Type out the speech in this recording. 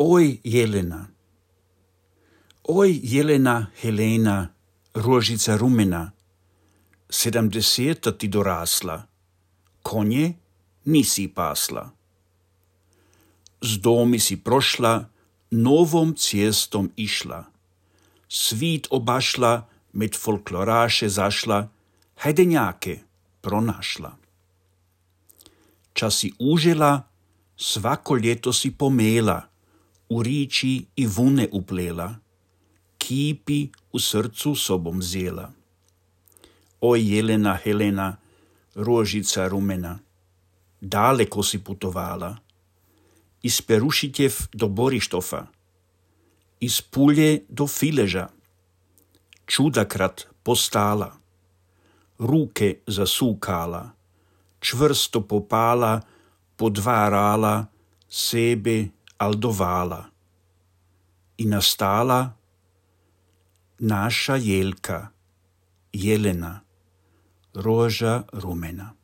Oj, Jelena. Oj, Jelena, Helena, rožica rumena, 70 ti dorasla, konje nisi pasla. Z domi si prošla, novom cestom išla, svit obašla, med folkloraše zašla, hajdenjake pronašla. Čas si užila, svako ljeto si pomela, u riči i vune uplela, kipi u srcu sobom vzela. Oj, Jelena, Helena, rožica rumena, daleko si putovala, iz Perušitev do Borištofa, iz Pulje do Fileža, čudakrat postala, ruke zasukala, čvrsto popala, podvarala, sebe aldovala. I nastala naša Jelka, Jelena, roža rumena.